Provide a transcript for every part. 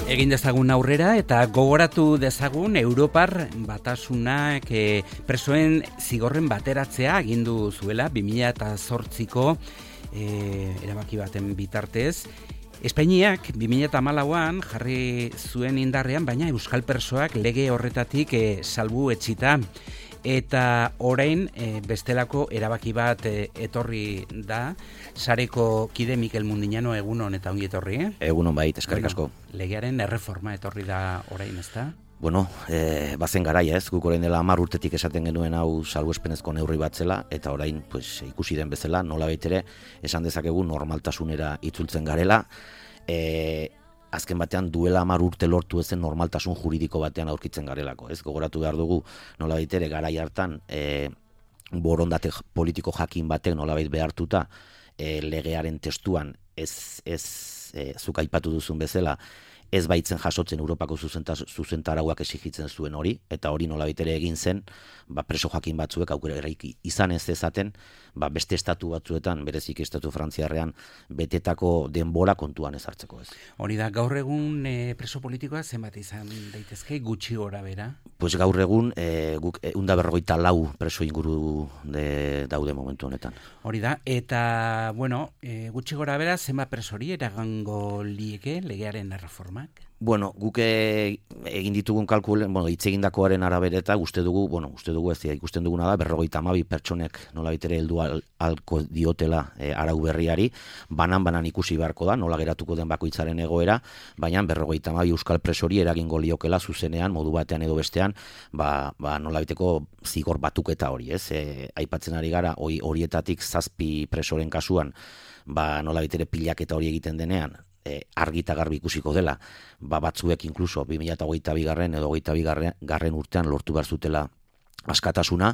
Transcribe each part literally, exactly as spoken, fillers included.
Egin dezagun aurrera eta gogoratu dezagun Europar Batasunak e, presoen zigorren bateratzea agindu zuela bi mila zortziko e, erabaki baten bitartez. Espainiak bi mila hamalauan jarri zuen indarrean, baina euskal presoak lege horretatik e, salbu etxita. Eta orain e, bestelako erabaki bat e, etorri da, sareko kide Mikel Mundiñano egunon eta ongi etorri, eh? Egunon bait, eskerrik asko. Legearen erreforma etorri da orain, ezta? Bueno, e, bazen garaia ez, guk orain dela hamar urtetik esaten genuen hau salbuespenezko neurri bat zela, eta orain pues, ikusi den bezala, nola baitere, esan dezakegu normaltasunera itzultzen garela, e, azken batean duela hamar urte lortu ezen normaltasun juridiko batean aurkitzen garelako, ez? Gogoratu behar dugu, nolabait ere garai hartan e, borondate politiko jakin batek nolabait behartuta e, legearen testuan ez, ez e, zuk aipatu duzun bezala, ez baitzen jasotzen Europako zuzentarauak exigitzen zuen hori, eta hori nolabait ere egin zen, ba, preso jakin batzuek aukera eraiki izan ez ezaten, ba, beste estatu batzuetan, bereziki estatu frantziarrean, betetako denbora kontuan ez hartzeko ez. Hori da, gaur egun e, preso politikoa zenbat izan daitezke, gutxi gora bera? Pues gaur egun, e, guk ehun eta berrogeita lau preso inguru de, daude momentu honetan. Hori da, eta, bueno, e, gutxi gora bera, zenbat presori eragango lieke legearen erreforma? Bueno, guk egin ditugun kalkulen, bueno, hitz egindakoaren arabera eta uste dugu, bueno, uste dugu ez ikusten duguna da, berrogeita hamabi pertsonek nolabait ere heldu al, alko diotela e, arau berriari, banan-banan ikusi beharko da, nola geratuko den bakoitzaren egoera, baina berrogeita hamabi euskal presori eragingo liokela zuzenean, modu batean edo bestean, ba, ba nolabaiteko zigor batuketa hori, ez? E, aipatzen ari gara, hori horietatik zazpi presoren kasuan, ba nolabait ere pilaketa hori egiten denean, E, argi eta garbi ikusiko dela, ba batzuek inkluso bi mila hogeita bi garren edo hogeita bi garren urtean lortu behar zutela askatasuna,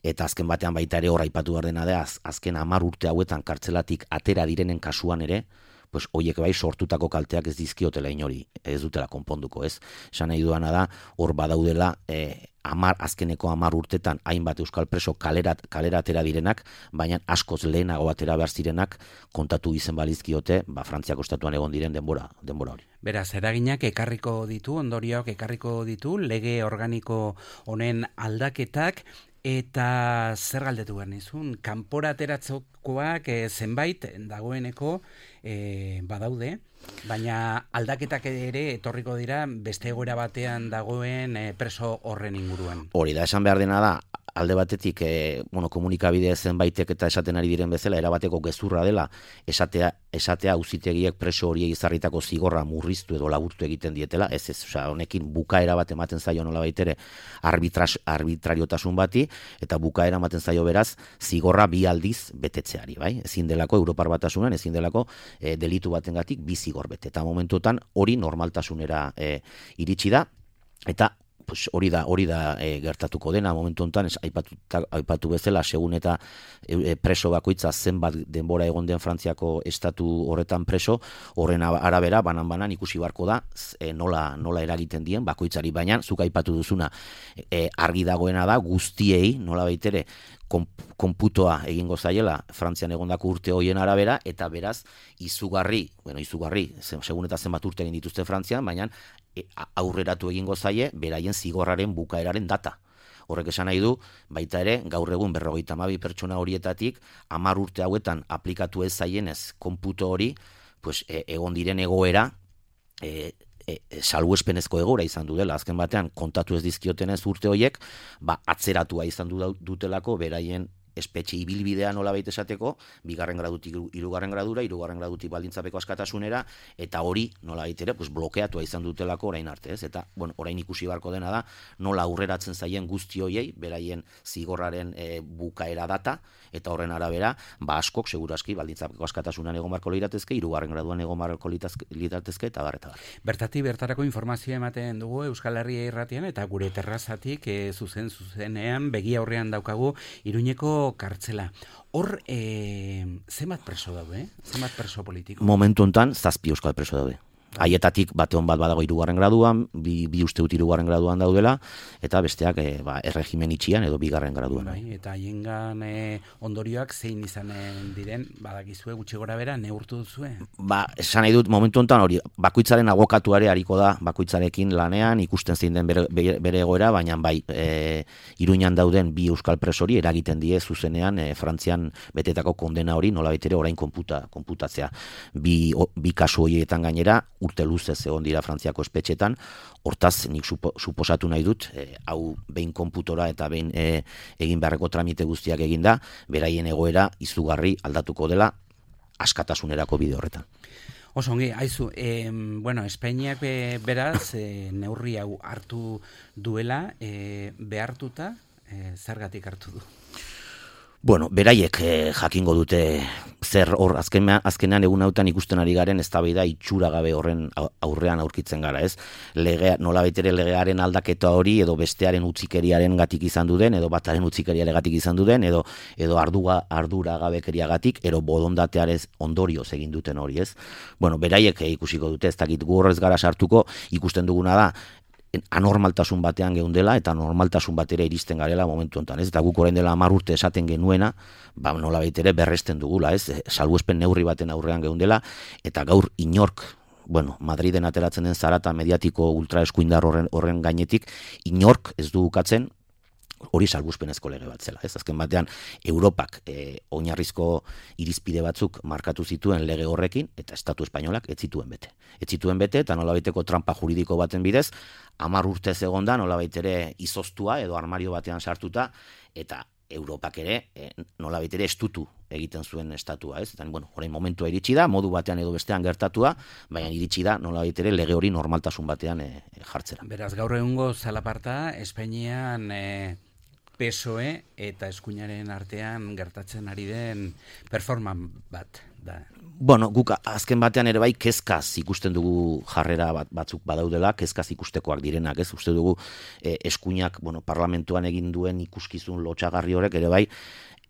eta azken batean baita ere hor aipatu behar dena da, az, azken hamar urte hauetan kartzelatik atera direnen kasuan ere, pues hoiek bai sortutako kalteak ez dizkiotela inori, ez dutela konponduko, ez? Esan nahi duana da, hor badaudela e, amar, azkeneko hamar urtetan hainbat euskal preso kalera, kalera atera direnak, baina askoz lehenago atera behar zirenak kontatu izen balizkiote, ba, Frantziako estatuan egon diren denbora, denbora hori. Beraz, eraginak ekarriko ditu, ondorioak ekarriko ditu, lege organiko honen aldaketak, eta zer galdetu behar nizun, kanpora ateratzokoak e, zenbait dagoeneko e, badaude, baina aldaketak ere etorriko dira beste egoera batean dagoen e, preso horren inguruan. Hori da, esan behar dena da, alde batetik e, bueno, komunikabide zenbaitek eta esaten ari diren bezala, erabateko gezurra dela, esatea, esatea auzitegiek preso horiek izarritako zigorra murriztu edo laburtu egiten dietela, ez ez, osea, honekin bukaera bat ematen zaio nola baitere arbitras, arbitrariotasun bati, eta bukaera ematen zaio beraz, zigorra bi aldiz betetzeari, bai? Ezin delako Europar Batasunan, ezin delako e, delitu batengatik bi zigor bete, eta momentutan hori normaltasunera e, iritsi da, eta pues hori da, hori da e, gertatuko dena momentu honetan, aipatu, aipatu bezala, segun eta e, preso bakoitza zenbat denbora egon den Frantziako estatu horretan preso, horren arabera, banan-banan ikusi barko da, e, nola, nola eragiten dien bakoitzari, baina zuk aipatu duzuna, e, argi dagoena da, guztiei, nola baitere, konputoa egingo zaiela Frantzian egondako urte hoien arabera, eta beraz, izugarri, bueno, izugarri, segun eta zenbat urte egin dituzte Frantzian, baina e, aurreratu egingo zaie, beraien zigorraren bukaeraren data. Horrek esan nahi du, baita ere, gaur egun berrogeita hamabi pertsona horietatik, hamar urte hauetan aplikatu ez zaienez konputo hori, pues, e, egon diren egoera, e, E, e, salbuespenezko egoera izan du dela, azken batean kontatu ez dizkiotenez urte horiek, ba, atzeratua izan du dutelako beraien espetxe ibilbidea nolabait esateko, bigarren gradutik hirugarren gradura, hirugarren gradutik baldintzapeko askatasunera, eta hori nolabait ere pues, blokeatua izan dutelako orain arte, ez? Eta bueno, orain ikusi beharko dena da nola aurreratzen zaien guzti hoiei, beraien zigorraren e, bukaera data, eta horren arabera, ba askok segurazki baldintzapeko askatasunan egon barko liratezke, hirugarren graduan egon barko liratezke, eta bar, eta bar. Bertatik bertarako informazioa ematen dugu Euskal Herria Irratian, eta gure terrazatik e, zuzen zuzenean begi aurrean daukagu Iruñeko kartzela. Hor, e, zenbat preso daude, eh? Zenbat preso politiko? Momentu hontan zazpi euskal preso daude. Haietatik bate hon bat badago hirugarren graduan, bi, bi uste dut hirugarren graduan daudela, eta besteak e, ba, erregimen itxian edo bigarren graduan. Bai, eta hiengan e, ondorioak zein izanen diren, badakizue gutxi gora bera, neurtu duzue? Ba, esan nahi dut, momentu honetan hori, bakoitzaren abokatuare hariko da, bakoitzarekin lanean, ikusten zein den bere, bere egoera, baina bai, e, Iruñan dauden bi euskal presori eragiten die zuzenean e, Frantzian betetako kondena hori nola betere orain konputa, konputatzea. Bi, o, bi kasu horietan gainera, urte luzez egon dira Frantziako espetxetan, hortaz nik supo, suposatu nahi dut, e, hau behin konputora eta behin e, egin beharreko tramite guztiak eginda, beraien egoera izugarri aldatuko dela askatasunerako bide horretan. Oso ongi, haizu, e, bueno, Espainiak be, beraz e, neurri hau hartu duela, e, behartuta, e, zergatik hartu du? Bueno, beraiek eh, jakingo dute zer hor azken, azkenean egun hautan ikusten ari garen eztabaida itxura gabe horren aurrean aurkitzen gara, ez? Legea, nolabait ere legearen aldaketa hori edo bestearen utzikeriaren gatik izan duden, edo bataren utzikeriaren gatik izan duden, edo edo ardua, ardura gabekeriagatik, edo bodondatearez ondorioz egin duten hori, ez? Bueno, beraiek eh, ikusiko dute, ez dakit gu horrez gara sartuko, ikusten duguna da, anormaltasun batean geundela eta normaltasun batera iristen garela momentu honetan, ez? Eta guk orain dela hamar urte esaten genuena, ba nolabait ere berresten dugula, ez? Salbuespen neurri baten aurrean geundela, eta gaur inork, bueno, Madriden ateratzen den zarata mediatiko ultraeskuindar horren, horren gainetik, inork ez du ukatzen hori salbuespenezko lege bat zela, ez? Azken batean Europak e, oinarrizko irizpide batzuk markatu zituen lege horrekin eta Estatu espainolak ez zituen bete. Ez zituen bete eta nolabaiteko trampa juridiko baten bidez hamar urtez egonda nolabait ere izoztua edo armario batean sartuta eta Europak ere e, nolabait ere estutu egiten zuen estatua, ez? Eta bueno, orain momentua iritsi da, modu batean edo bestean gertatua, baina iritsi da nolabait ere lege hori normaltasun batean e, jartzera. Beraz, gaur egungo zalaparta Espainian e... P S O E eta eskuinaren artean gertatzen ari den performance bat da. Bueno, guk azken batean ere bai kezkaz ikusten dugu jarrera bat, batzuk badaudela, kezkaz ikustekoak direnak, ez? Uste dugu eh, eskuinak, bueno, parlamentuan egin duen ikuskizun lotsagarri horrek ere bai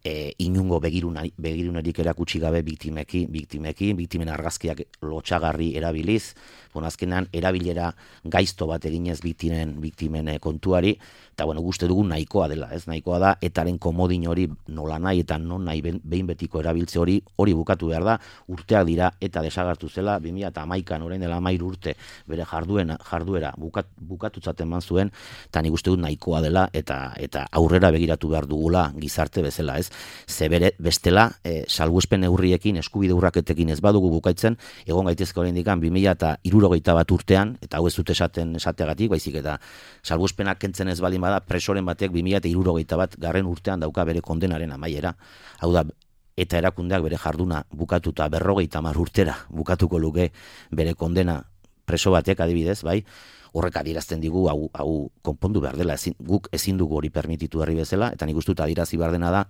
E, inungo begirunari, begirunarik erakutsi gabe biktimeki, biktimeki, biktimen argazkiak lotsagarri erabiliz, bon, azkenan erabilera gaizto bat eginez biktimen, biktimen kontuari, eta bueno, guzti dugu nahikoa dela, ez? Nahikoa da, etaren komodin hori nola nahi eta non nahi behin betiko erabiltze hori, hori bukatu behar da, urteak dira eta desagartu zela, bi mila hamaikan orain dela hamairu urte bere jarduen, jarduera bukat, bukatutzat eman zuen, eta nik uste dut nahikoa dela, eta, eta aurrera begiratu behar dugula gizarte bezala, ez? Zebere bestela e, salbuespen neurriekin eskubide urraketekin ez badugu bukaitzen egon gaitezke oraindik bi mila hirurogeita bat urtean eta hau ez dut esaten esateagatik baizik eta salbuespenak kentzen ez baldin bada presoren batek bi mila hirurogeita bat garren urtean dauka bere kondenaren amaiera, hau da eta erakundeak bere jarduna bukatuta berrogeita hamar urtera bukatuko luke bere kondena preso batek adibidez, bai, horrek adierazten digu hau, hau konpondu behar dela, ezin, guk ezin dugu hori permititu herri bezala, eta nik uste dut adierazi behar dena da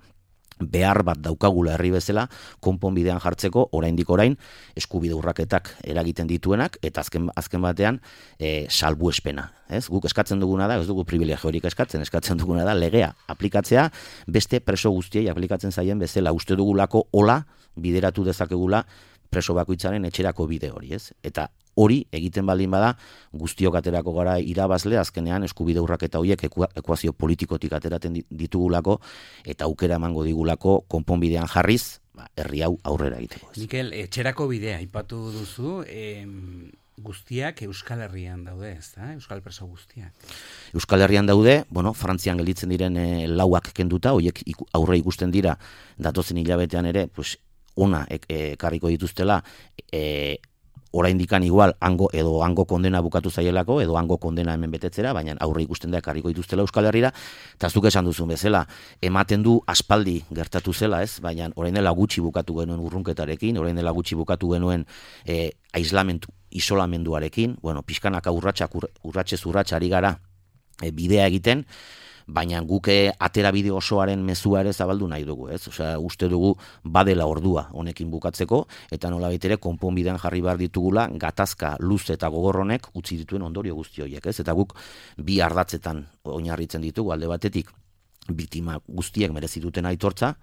behar bat daukagula herri bezala konponbidean jartzeko oraindik orain eskubide urraketak eragiten dituenak eta azken azken batean e, salbuespena, ez? Guk eskatzen duguna da, ez dugu privilegiorik eskatzen, eskatzen duguna da legea aplikatzea beste preso guztiei aplikatzen zaien bezala, uste dugulako hola bideratu dezakegula preso bakoitzaren etxerako bide hori, ez? Eta hori egiten baldin bada guztiok aterako gara irabazle azkenean eskubide urraketa horiek ekuazio politikotik ateraten ditugulako eta aukera emango digulako konponbidean jarriz ba, herri hau aurrera egiteko. Mikel, etxerako bidea aipatu duzu, eh, guztiak Euskal Herrian daude, ez da? Euskal preso guztiak. Euskal Herrian daude, bueno, Frantzian gelditzen diren e, lauak kenduta, horiek iku, aurre ikusten dira datozen hilabetean ere, pues, ona ekarriko dituztela e, oraindikan igual hango edo hango kondena bukatu zaielako edo hango kondena hemen betetzera, baina aurre ikusten da ekarriko dituztela Euskal Herrira, eta zuk esan duzun bezala, ematen du aspaldi gertatu zela, ez? Baina orain dela gutxi bukatu genuen urrunketarekin, orain dela gutxi bukatu genuen e, aislamentu, isolamenduarekin, bueno, pixkanaka urratsak urratsez urrats ari gara e, bidea egiten, baina guke atera bide osoaren mezua ere zabaldu nahi dugu, ez? Osea, uste dugu badela ordua honekin bukatzeko, eta nolabait ere konponbidean jarri behar ditugula gatazka luze eta gogorronek utzi dituen ondorio guzti horiek, ez? Eta guk bi ardatzetan oinarritzen ditugu, alde batetik biktima guztiek merezi duten aitortza,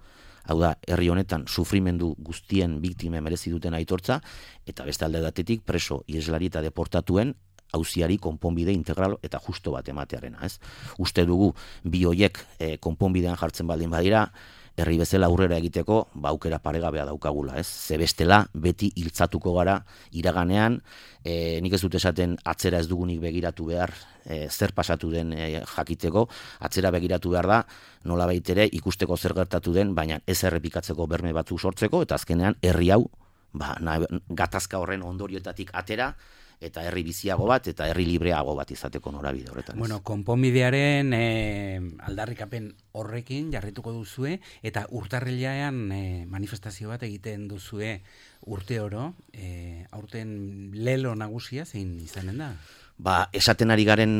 hau da, herri honetan sufrimendu guztien biktime merezi duten aitortza, eta beste alde batetik preso, ieslari eta deportatuen auziari konponbide integral eta justo bat ematearena, ez? Uste dugu bi hoiek e, konponbidean jartzen baldin badira, herri bezala aurrera egiteko, ba aukera paregabea daukagula, ez? Ze bestela beti hiltzatuko gara iraganean, e, nik ez dut esaten atzera ez dugunik begiratu behar, e, zer pasatu den e, jakiteko, atzera begiratu behar da, nolabait ere ikusteko zer gertatu den, baina ez errepikatzeko berme batzuk sortzeko, eta azkenean herri hau, ba, na, gatazka horren ondorioetatik atera, eta herri biziago bat, eta herri libreago bat izateko norabide horretan. Bueno, konponbidearen e, aldarrikapen horrekin jarrituko duzue, eta urtarrilean e, manifestazio bat egiten duzue urte oro, e, aurten lelo nagusia zein izanen da? Ba, esaten ari garen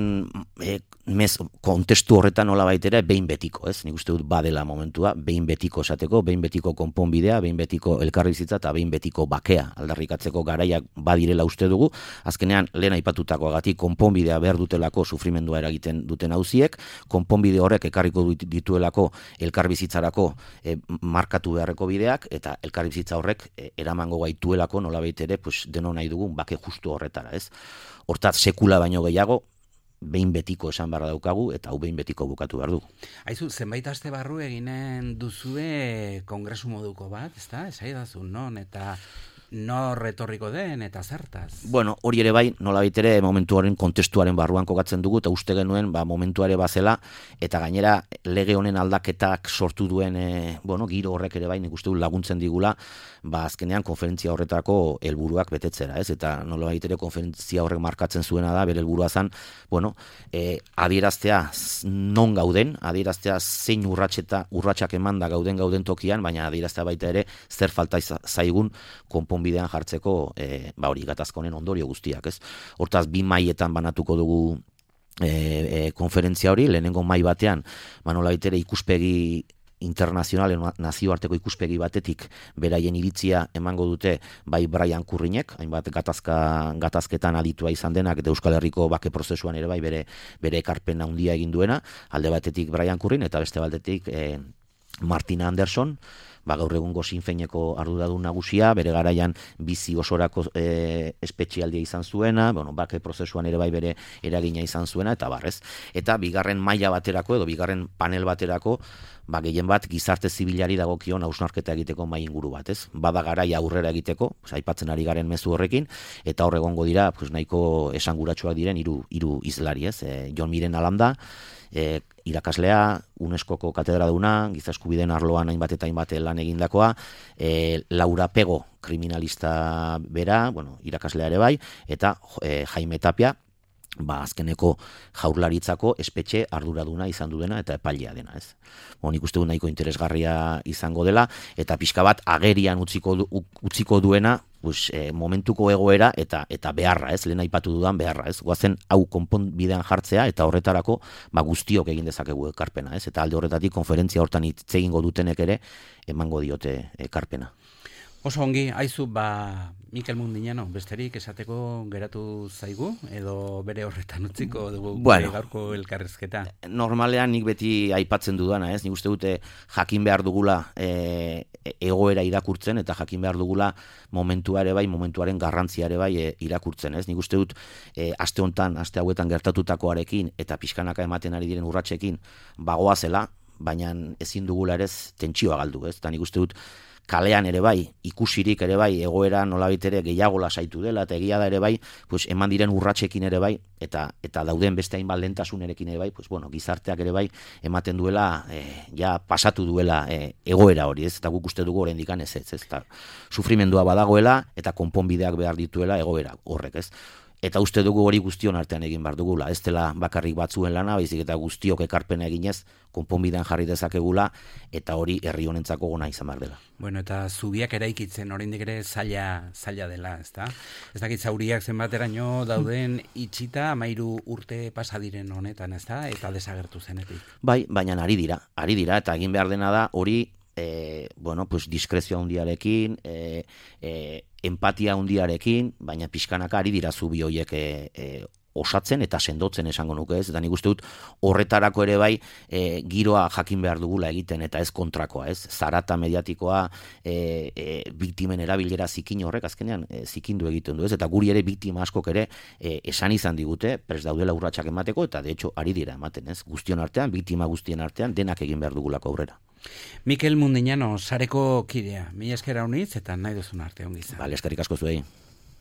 e, mez, kontestu horretan nola baitere, behin betiko, ez? Nik uste dut badela momentua, behin betiko esateko, behin betiko konponbidea, behin betiko elkarrizitza eta behin betiko bakea aldarrikatzeko garaiak badirela uste dugu. Azkenean, lehen aipatutakoagatik konponbidea behar dutelako sufrimendua eragiten duten auziek, konponbide horrek ekarriko dituelako elkarbizitzarako e, markatu beharreko bideak, eta elkarbizitza horrek e, eramango gaituelako nola baitere, pues, deno nahi dugun bake justu horretara, ez? Hortaz, sekula baino gehiago, behin betiko esan barra daukagu, eta hau behin betiko bukatu behar du. Aizu, zenbait aste barru eginen duzue kongresu moduko bat, ezta? Esaidazu, non, eta nor retorriko den, eta zertaz? Bueno, hori ere bai, nolabait ere momentuaren kontestuaren barruan kokatzen dugu, eta uste genuen, ba, momentuare bazela, eta gainera lege honen aldaketak sortu duen, e, bueno, giro horrek ere bai, nik uste du laguntzen digula, ba, azkenean konferentzia horretako helburuak betetzera, ez? Eta nolabait ere konferentzia horrek markatzen zuena da, bere helburua zan, bueno, e, adieraztea non gauden, adieraztea zein urratxeta, urratxak emanda gauden gauden tokian, baina adieraztea baita ere zer falta zaigun konponbidean jartzeko, e, ba hori gatazka honen ondorio guztiak, ez? Hortaz, bi mailetan banatuko dugu e, e, konferentzia hori, lehenengo mai batean, ba nolabait ere ikuspegi internazionalen nazioarteko ikuspegi batetik beraien iritzia emango dute bai Brian Kurrinek, hainbat gatazka gatazketan aditua izan denak eta Euskal Herriko bake prozesuan ere bai bere bere ekarpen handia egin duena, alde batetik Brian Kurrin eta beste batetik e, Martina Anderson, ba, gaur egungo Sinfeineko arduradun nagusia, bere garaian bizi osorako e, espetxialdia izan zuena, bueno, bake prozesuan ere bai bere eragina izan zuena, eta barrez. Eta bigarren maila baterako, edo bigarren panel baterako, ba, gehien bat gizarte zibilari dagokion hausnarketa egiteko mai inguru bat, ez? Bada garaia aurrera egiteko, aipatzen ari garen mezu horrekin, eta hor egongo dira, pues, nahiko esanguratsuak diren hiru hiru hizlari, ez? E, Jon Miren Alanda, E, irakaslea, UNESCOko katedraduna, giza eskubideen arloan hainbat eta hainbat lan egindakoa, e, Laura Pego, kriminalista bera, bueno, irakaslea ere bai, eta e, Jaime Tapia, ba, azkeneko jaurlaritzako espetxe arduraduna izan duena eta epailea dena, ez? Bon, nik uste du nahiko interesgarria izango dela, eta pixka bat agerian utziko, du, utziko duena, pues, e, momentuko egoera eta eta beharra, ez? Lehen aipatu dudan beharra, ez? Goazen hau konponbidean jartzea eta horretarako ba, guztiok egin dezakegu ekarpena, ez? Eta alde horretatik konferentzia hortan hitz egingo dutenek ere emango diote ekarpena. Oso ongi, aizu, ba, Mikel Mundinano, besterik esateko geratu zaigu, edo bere horretan utziko dugu bueno, gaurko elkarrezketa? Normalean nik beti aipatzen dudana, ez? Nik uste dute jakin behar dugula e, egoera irakurtzen, eta jakin behar dugula momentua ere bai, momentuaren garrantzia ere bai e, irakurtzen, ez? Nik uste dut e, aste hontan, aste hauetan gertatutakoarekin, eta pixkanaka ematen ari diren urratsekin, bagoa zela, baina ezin dugula ere tentsioa galdu, ez? Eta nik uste dut kalean ere bai, ikusirik ere bai, egoera nolabait ere gehiago lasaitu dela, eta egia da ere bai, pues, eman diren urratsekin ere bai, eta eta dauden beste hainbat lehentasunerekin ere bai, pues, bueno, gizarteak ere bai, ematen duela, eh, ja pasatu duela eh, egoera hori, ez? Eta guk uste dugu oraindik ez, ez, ez, eta sufrimendua badagoela, eta konponbideak behar dituela egoera horrek, ez? Eta uste dugu hori guztion artean egin behar dugula, ez dela bakarrik batzuen lana, baizik eta guztiok ekarpena eginez, konponbidean jarri dezakegula, eta hori herri honentzako gona izan behar dela. Bueno, eta zubiak eraikitzen oraindik ere zaila, zaila dela, ezta? Ez dakit zauriak zenbateraino dauden itxita, amairu urte pasadiren honetan, ezta? Eta desagertu zenetik. Bai, baina ari dira, ari dira, eta egin behar dena da hori, eh, bueno, pues diskrezio handiarekin, eh, eh, empatia handiarekin, baina pixkanaka ari dira zubi horiek e, e, osatzen eta sendotzen esango nuke, ez? Eta nik uste dut horretarako ere bai e, giroa jakin behar dugula egiten eta ez kontrakoa, ez? Zarata mediatikoa e, e, biktimen erabilera zikin horrek azkenean e, zikindu egiten du, ez? Eta guri ere biktima askok ere e, esan izan digute, prest daudela urratsak emateko, eta de hecho ari dira ematen, ez? Guztion artean, biktima guztien artean, denak egin behar dugulako aurrera. Mikel Mundiñano, sareko kidea, mila esker haunitz eta nahi duzun arte ongi izan. Bale, eskerrik asko zuei.